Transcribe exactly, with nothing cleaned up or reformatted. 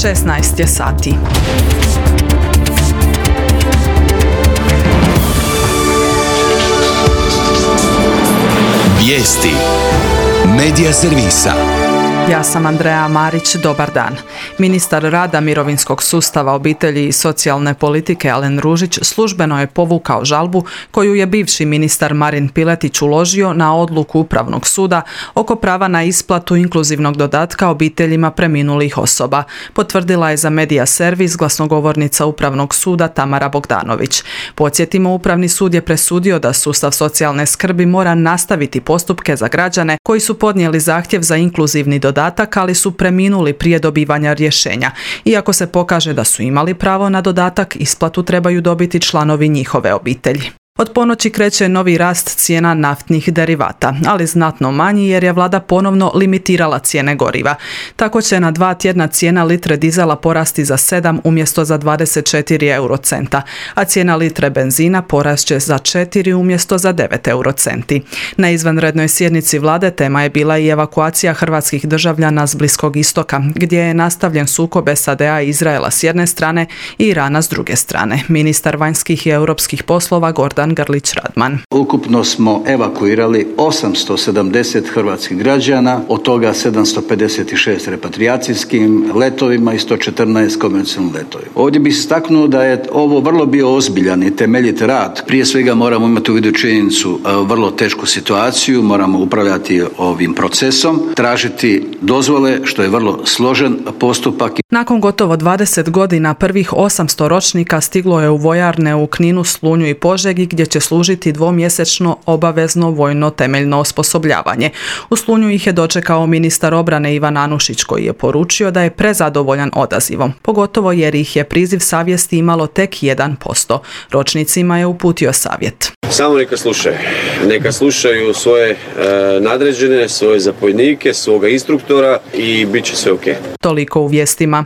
šesnaest je sati. Vijesti Medija servisa. Ja sam Andreja Marić, dobar dan. Ministar rada, mirovinskog sustava, obitelji i socijalne politike Alen Ružić službeno je povukao žalbu koju je bivši ministar Marin Piletić uložio na odluku Upravnog suda oko prava na isplatu inkluzivnog dodatka obiteljima preminulih osoba, potvrdila je za Medija servis glasnogovornica Upravnog suda Tamara Bogdanović. Podsjetimo, Upravni sud je presudio da sustav socijalne skrbi mora nastaviti postupke za građane koji su podnijeli zahtjev za inkluzivni dodatak, ali su preminuli prije dobivanja rješenja. Iako se pokaže da su imali pravo na dodatak, isplatu trebaju dobiti članovi njihove obitelji. Od ponoći kreće novi rast cijena naftnih derivata, ali znatno manji jer je vlada ponovno limitirala cijene goriva. Tako će na dva tjedna cijena litre dizela porasti za sedam umjesto za dvadeset četiri eurocenta, a cijena litre benzina porasće za četiri umjesto za devet eurocenti. Na izvanrednoj sjednici vlade tema je bila i evakuacija hrvatskih državljana s Bliskog istoka, gdje je nastavljen sukob S A D A i Izraela s jedne strane i Irana s druge strane. Ministar vanjskih i europskih poslova Gordan Grlić-Radman. Ukupno smo evakuirali osamsto sedamdeset hrvatskih građana, od toga sedamsto pedeset šest repatrijacijskim letovima i sto četrnaest komercijalnim letovima. Ovdje bih istaknuo da je ovo vrlo bio ozbiljan i temeljit rad. Prije svega moramo imati u vidu činjenicu vrlo tešku situaciju, moramo upravljati ovim procesom, tražiti dozvole, što je vrlo složen postupak. Nakon gotovo dvadeset godina prvih osamsto ročnika stiglo je u vojarne u Kninu, Slunju i Požegi, gdje će služiti dvomjesečno obavezno vojno temeljno osposobljavanje. U Slunju ih je dočekao ministar obrane Ivan Anušić, koji je poručio da je prezadovoljan odazivom, pogotovo jer ih je priziv savjesti imalo tek jedan posto. Ročnicima je uputio savjet. Samo neka slušaju. Neka slušaju svoje e, nadređene, svoje zapovjednike, svoga instruktora i bit će sve ok. Toliko u vijestima.